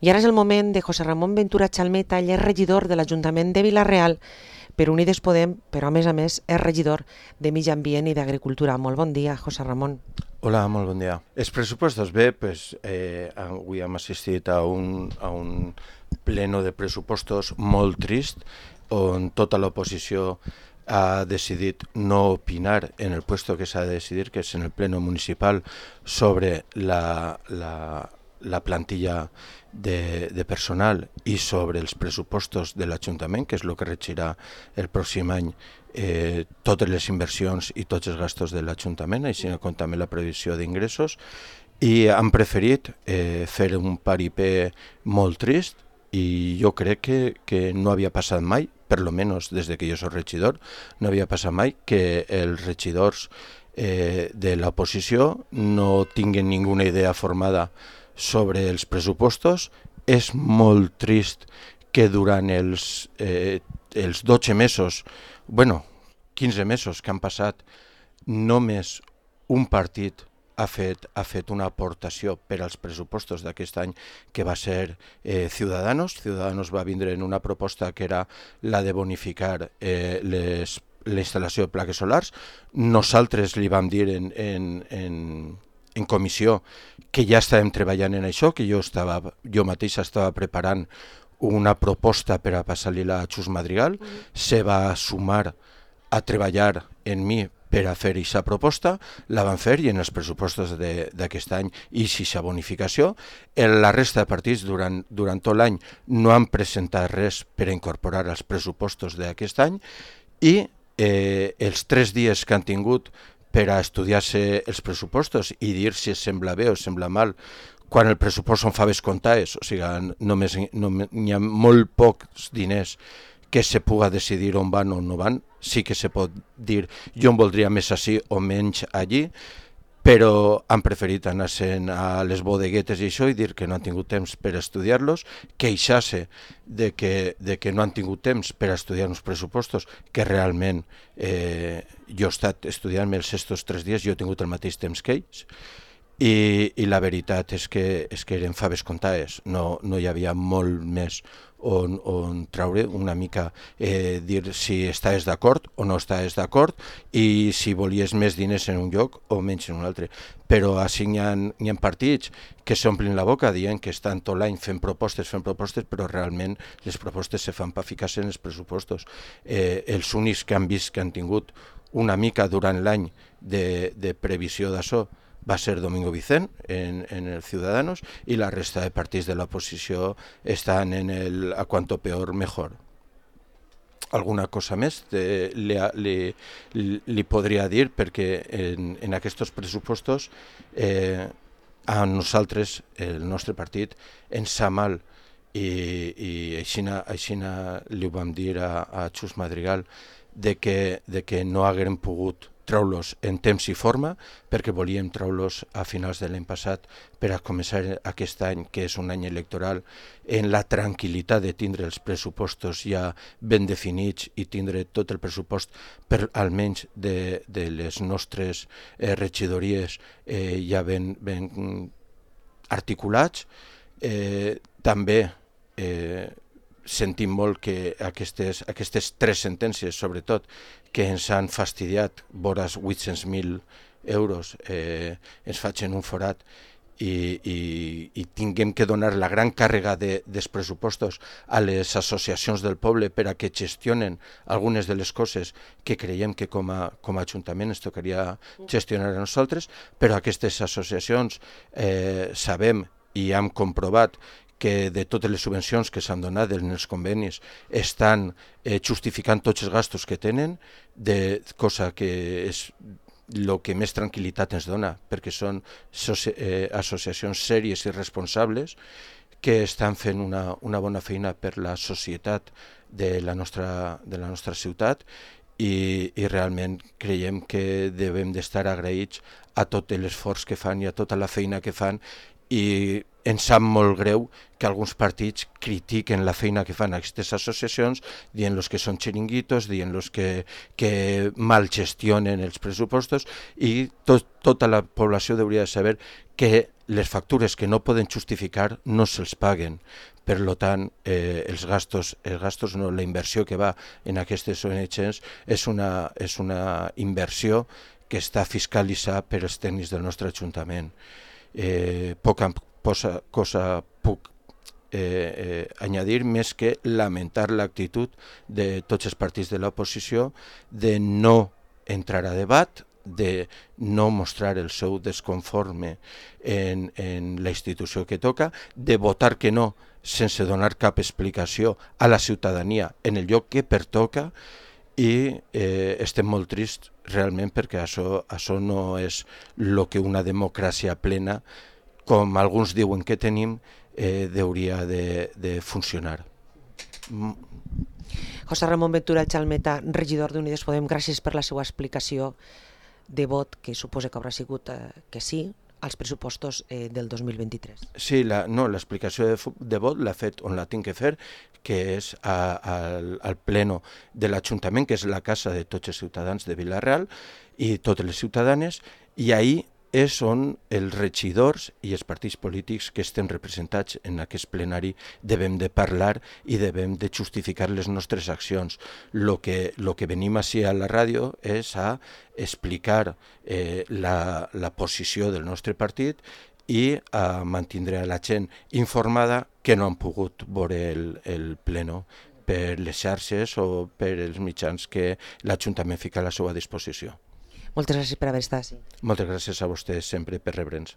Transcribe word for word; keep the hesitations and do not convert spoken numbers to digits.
I ara és el moment de José Ramón Ventura Chalmeta, ell és regidor de l'Ajuntament de Vila-real per Unides Podem, però a més a més és regidor de Medi Ambient i d'Agricultura. Molt bon dia, José Ramón. Hola, molt bon dia. Els pressupostos bé, pues, eh, avui hem assistit a un, a un pleno de pressupostos molt trist, on tota l'oposició ha decidit no opinar en el puesto que s'ha de decidir, que és en el pleno municipal, sobre la, la, la plantilla de, de personal i sobre els pressupostos de l'Ajuntament, que és el que regirà el pròxim any eh, totes les inversions i tots els gastos de l'Ajuntament, així com també la previsió d'ingressos, i han preferit eh, fer un paripé molt trist, i jo crec que, que no havia passat mai, per lo menos des de que jo soc regidor, no havia passat mai que els regidors eh, de l'oposició no tinguen ninguna idea formada sobre els pressupostos. És molt trist que durant els, eh, els dotze mesos, bueno, quinze mesos que han passat, només un partit ha fet, ha fet una aportació per als pressupostos d'aquest any, que va ser eh, Ciudadanos. Ciudadanos va vindre en una proposta que era la de bonificar eh, les, la instal·lació de plaques solars. Nosaltres li vam dir en, en, en, en comissió que ja estàvem treballant en això, que jo, estava, jo mateix estava preparant una proposta per a passar-li a Xus Madrigal. Mm. Se va sumar a treballar en mi per a fer aquesta proposta, la van fer, i en els pressupostos d'aquest any i aquesta bonificació. La resta de partits durant, durant tot l'any no han presentat res per a incorporar als pressupostos d'aquest any, i eh, els tres dies que han tingut per a estudiar-se els pressupostos i dir si es sembla bé o sembla mal, quan el pressupost són faves comptades, o sigui, només, només hi ha molt pocs diners que se puga decidir on van o no van. Sí que se pot dir jo en voldria més així o menys allí, però han preferit anar-se'n a les bodeguetes i això i dir que no han tingut temps per estudiar-los, queixar-se de que, de que no han tingut temps per estudiar uns pressupostos que realment eh, jo he estat estudiant-me els estos tres dies, jo he tingut el mateix temps que ells, i, i la veritat és que, és que eren faves comptades, no, no hi havia molt més on, on traure una mica, eh, dir si estaves d'acord o no estaves d'acord, i si volies més diners en un lloc o menys en un altre. Però així hi ha, hi ha partits que s'omplin la boca dient que estan tot l'any fent propostes, fent propostes, però realment les propostes se fan per ficar-se en els pressupostos. Eh, els únics que han vist que han tingut una mica durant l'any de, de previsió d'això va ser Domingo Vicent en, en el Ciudadanos, i la resta de partits de l'oposició estan en el a cuanto peor mejor. Alguna cosa més de, li, li, li podria dir, perquè en, en aquests pressupostos eh, a nosaltres, el nostre partit, ens sa mal, i, i així, així li ho vam dir a, a Xus Madrigal, de que, de que no haguem pogut treure-los en temps i forma, perquè volíem treure-los a finals de l'any passat per a començar aquest any, que és un any electoral, en la tranquil·litat de tindre els pressupostos ja ben definits i tindre tot el pressupost, per almenys de, de les nostres eh, regidories eh, ja ben, ben articulats. Eh, també eh, sentim molt que aquestes, aquestes tres sentències, sobretot, que ens han fastidiat vores vuit-cents mil euros, eh, ens facin un forat, i, i, i tinguem que donar la gran càrrega de, dels pressupostos a les associacions del poble per a que gestionen algunes de les coses que creiem que com a, com a Ajuntament ens tocaria gestionar a nosaltres, però aquestes associacions eh, sabem i hem comprovat que de totes les subvencions que s'han donat en els convenis estan eh, justificant tots els gastos que tenen, de cosa que és el que més tranquil·litat ens dona, perquè són eh, associacions sèries i responsables que estan fent una, una bona feina per la societat de la nostra, de la nostra ciutat, i, i realment creiem que devem d'estar agraïts a tot l'esforç que fan i a tota la feina que fan, i ens sap molt greu que alguns partits critiquen la feina que fan aquestes associacions, dient-los que són xiringuitos, dient-los que, que mal gestionen els pressupostos, i tot, tota la població hauria de saber que les factures que no poden justificar no se'ls paguen. Per tant, eh, els gastos, els gastos no, la inversió que va en aquestes O N Gs és una, és una inversió que està fiscalitzada per els tècnics del nostre Ajuntament. Eh, poca cosa, cosa puc eh, eh, añadir més que lamentar l'actitud de tots els partits de l'oposició de no entrar a debat, de no mostrar el seu desconforme en, en la institució que toca, de votar que no sense donar cap explicació a la ciutadania en el lloc que pertoca, i eh, estem molt trists realment perquè això, això no és el que una democràcia plena, com alguns diuen que tenim, eh, hauria de, de funcionar. José Ramon Ventura Chalmeta, regidor d'Unides Podem, gràcies per la seva explicació de vot, que suposa que haurà sigut eh, que sí, als pressupostos eh, del dos mil vint-i-tres. Sí, la, no, l'explicació de, de vot l'ha fet on la tinc que fer, que és a, a, al pleno de l'Ajuntament, que és la casa de tots els ciutadans de Vila-real i totes les ciutadanes, i ahir és on els regidors i els partits polítics que estem representats en aquest plenari devem de parlar i devem de justificar les nostres accions. Lo que, lo que venim així a la ràdio és a explicar eh, la, la posició del nostre partit i a mantindre a la gent informada que no han pogut veure el, el pleno per les xarxes o per els mitjans que l'Ajuntament fica a la seva disposició. Moltes gràcies per haver estat així. Moltes gràcies a vostès sempre per rebre'ns.